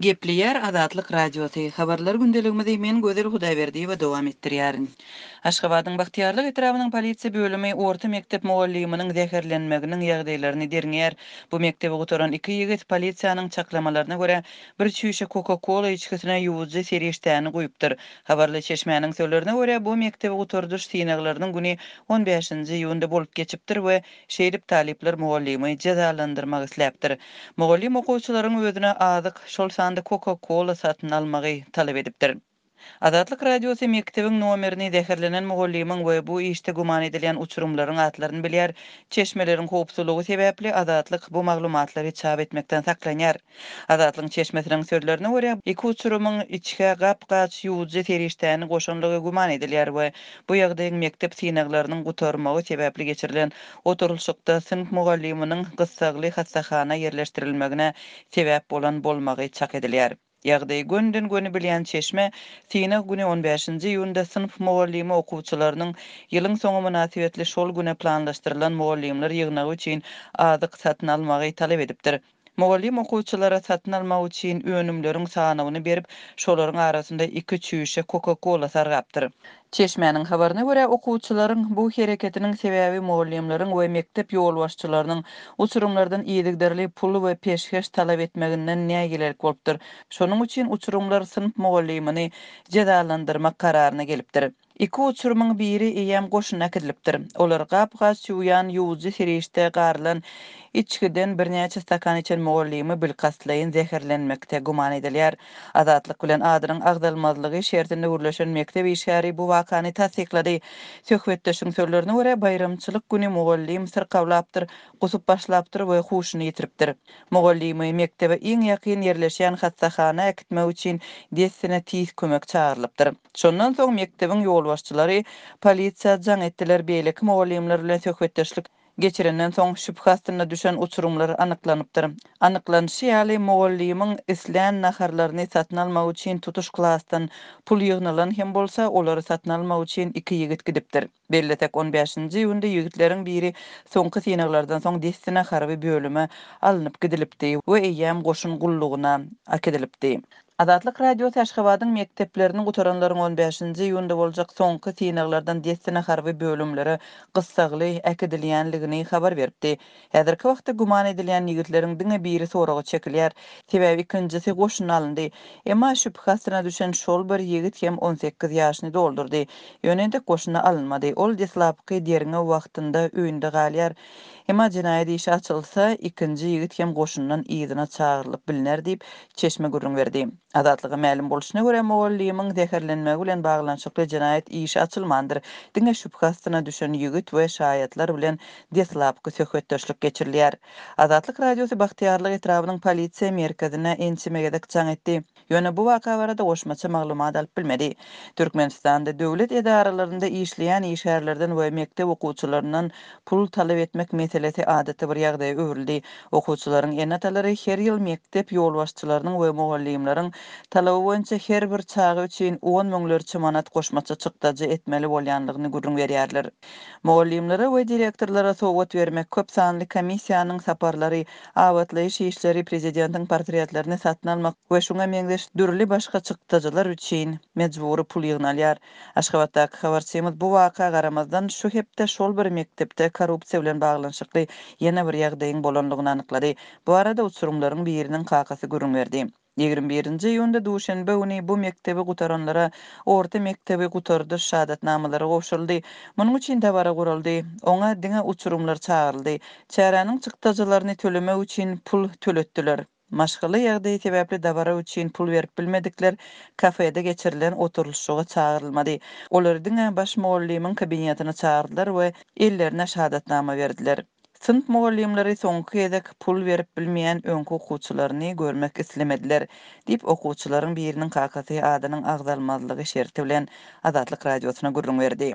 Gepleýär Azatlyk Radiosy, Habarlar gündeligimizi men Gözel Hudaýberdiýewa dowam etdirýärin. Aşgabadyň Bagtyýarlyk etrabynyň polisiýa bölümi orta mekdep mugallymynyň zäherlenmeginiň ýagdaýlaryny derňeýär. Bu mekdebi gutaran iki ýigit, polisiýanyň çaklamalaryna görä, bir çüýşe Coca-Cola içgisine ýuwujy serişdäni guýupdyr. Habarly çeşmäniň sözlerine görä, bu mekdebi gutardyş synaglarynyň güni on bäşinji iýunda bolup geçipdir we Şeýdip, talyplar mugallymy jezalandyrmak isläpdir. Mugallym okuwçylaryň özüne azyk, şol sanda Coca-Cola satyn almagy talap edipdir. Azatlyk Radiosy mekdebiň nomerini, zäherlenen mugallymyň we bu işde güman edilýän uçurymlaryň atlaryny bilýär. Çeşmeleriň howpsuzlygy sebäpli Azatlyk bu maglumatlary çap etmekden saklanýar. Azatlygyň çeşmesiniň sözlerine görä, iki uçurymyň içgä gap-gaç ýuwujy serişdäni goşanlygy güman edilýär we bu ýagdaýyň mekdep synaglarynyň gutarmagy sebäpli geçirilen oturylyşykda synp mugallymynyň gyssagly hassahana ýerleşdirilmegine sebäp bolan bolmagy çak edilýär. Ýagdaýy gönden-göni bilýän çeşme synag güni on bäşinji iýunda synp mugallymy okuwçylarynyň ýylyň soňy mynasybetli şol güne planlaşdyrylan mugallymlar ýygnagy üçin azyk satyn almagy talap edipdir. Mugallym okuwçylara satyn almak üçin önümleriň sanawyny berip, şolaryň arasynda iki çüýşe Coca-Cola sargapdyr. Çeşmäniň habaryna görä, okuwçylaryň bu hereketiniň sebäbi mugallymlaryň we mekdep ýolbaşçylarynyň uçurymlardan yzygiderli pul we peşgeş talap etmeginden nägilelik bolupdyr. Şonuň üçin uçurymlar synp mugallymyny jezalandyrmak kararyna gelipdir. Iki uçurymyň biri eýýäm goşuna äkidilipdir. Olar gap-gaç ýuwýan ýuwujy serişde garylan içgiden birnäçe stakan içen mugallymy bilkastlaýyn zäherlenmekde güman edilýär. Azatlyk bilen adynyň agzalmazlygy şertinde gürleşen mekdep işgäri bu wakany tassyklady. Söhbetdeşiň sözlerine görä, baýramçylyk güni mugallym syrkawlapdyr, gusup başlapdyr we huşuny ýitiripdir. Mugallymy mekdebe iň ýakyn ýerleşýän hassahana äkitmek üçin dessine tiz kömek çagyrylypdyr. Şondan soň mekdebiň ýolbaşçylary polisiýa jaň etdiler, beýleki mugallymlar bilen söhbetdeşlik geçirenden soň şübhe astynda düşen uçurymlar anyklanypdyr. Anyklanyşy ýaly, mugallymyň islän naharlaryny satyn almak üçin tutuş klasdan pul ýygnalan hem bolsa, olary satyn almak üçin iki ýigit gidipdir. Bellesek, on bäşinji iýunda ýigitleriň biri soňky synaglardan soň dessine harby bölüme alnyp gidilipdi we eýýäm goşun gullugyna äkidilipdi. Azatlyk Radiosy Aşgabadyň mekdeplerini gutaranlaryň on bäşinji iýunda boljak soňky synaglardan dessine harby bölümlere gyssagly äkidilýänligini habar beripdi. Häzirki wagtda güman edilýän ýigitleriň diňe biri soraga çekilýär. Sebäbi ikinjisi goşuna alyndy. Emma şübhe astyna düşen şol bir ýigit hem 18 ýaşyny doldurdy. Ýöne entek goşuna alynmady. Ol deslapky derňew wagtynda öýünde galýar. Emma jenaýat işi açylsa, ikinji ýigit hem goşundan yzyna çagyrylyp bilner diýip, çeşme gürrüň berdi. Azatlyga mälim bolşuna görä, mugallymyň zäherlenmegi bilen baglanyşykly jenaýat işi açylmandyr, diňe şübhe astyna düşen ýigit we şaýatlar bilen deslapky söhbetdeşlik geçirilýär. Azatlyk Radiosy Bagtyýarlyk etrabynyň polisiýa merkezine ençeme gezek jaň etdi. Ýöne bu waka barada goşmaça maglumat alyp bilmedi. Türkmenistanda döwlet edaralarynda işleýän işgärlerden we mekdep okuwçylaryndan pul talap etmek meselesi adaty bir ýagdaýa öwrüldi. Okuwçylaryň ene-atalary her ýyl mekdep ýolbaşçylarynyň we mugallymlaryň talaby boýunça her bir çaga üçin on müňlerçe manat goşmaça çykdajy etmeli bolýanlygyny gürrüň berýärler. Mugallymlara we direktorlara sowgat bermek, köp sanly komissiýanyň saparlary, abatlaýyş işleri, prezidentiň portretlerini satyn almak we şuňa meňzeş dürli başga çykdajylar üçin mejbury pul ýygnalýar. Aşgabatdaky habarçymyz bu waka garamazdan, şu hepde şol bir mekdepde korrupsiýa bilen baglanyşykly ýene bir ýagdaýyň bolanlygyny anyklady. Bu barada uçurymlaryň biriniň kakasy gürrüň berdi. 21-nji iýunda duşenbe güni bu mekdebi gutaranlara orta mekdebi gutardyş şahadatnamalary gowşuryldy. Munuň üçin dabara guraldy. Oňa diňe uçurymlar çagyryldy. Çäräniň çykdajylaryny tölemek üçin pul töletdiler. Maşgala ýagdaýy sebäpli dabara üçin pul berip bilmedikler kafede geçirilen oturylyşyga çagyrylmady. Olary diňe baş mugallymyň kabinetine çagyrdylar we ellerine şahadatnama berdiler. Synp mugallymlary soňky gezek pul berip bilmeýän öňki okuwçylaryny görmek islemediler, diýip, okuwçylaryň biriniň kakasy adynyň agzalmazlygy şerti bilen Azatlyk Radiosyna gürrüň berdi.